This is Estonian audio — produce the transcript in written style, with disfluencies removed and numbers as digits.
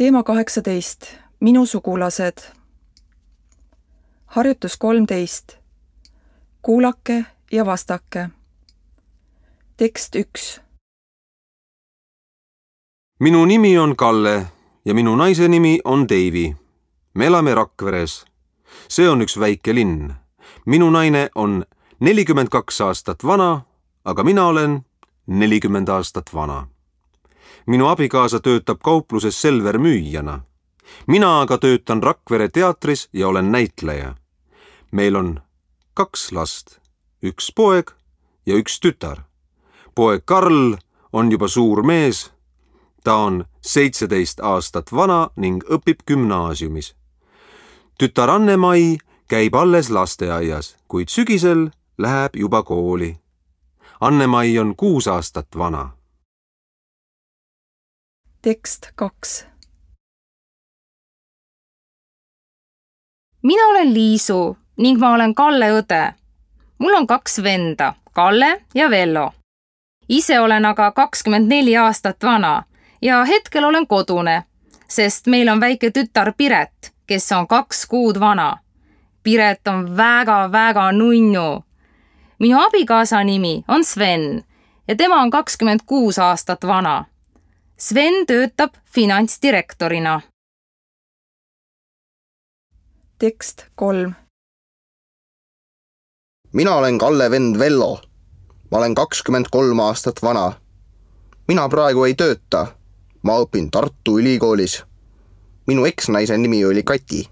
Teema 18. Minu sugulased. Harjutus 13. Kuulake ja vastake. Tekst 1. Minu nimi on Kalle ja minu naise nimi on Deivi. Me elame Rakveres. See on üks väike linn. Minu naine on 42 aastat vana, aga mina olen 40 aastat vana. Minu abikaasa töötab kaupluses Selver müüjana. Mina aga töötan Rakvere teatris ja olen näitleja. Meil on 2 last, 1 poeg ja 1 tütar. Poeg Karl on juba suur mees. Ta on 17 aastat vana ning õpib gümnaasiumis. Tütar Anne-Mai käib alles lasteaias, kuid sügisel läheb juba kooli. Anne-Mai on 6 aastat vana. Tekst 2. Mina olen Liisu ning ma olen Kalle õde. Mul on 2 venda, Kalle ja Vello. Ise olen aga 24 aastat vana ja hetkel olen kodune, sest meil on väike tütar Piret, kes on 2 kuud vana. Piret on väga nunnu. Minu abikaasa nimi on Sven ja tema on 26 aastat vana. Sven töötab finantsdirektorina. Tekst 3. Mina olen Kalle vend Vello. Ma olen 23 aastat vana. Mina praegu ei tööta. Ma õpin Tartu Ülikoolis. Minu eksnaise nimi oli Kati.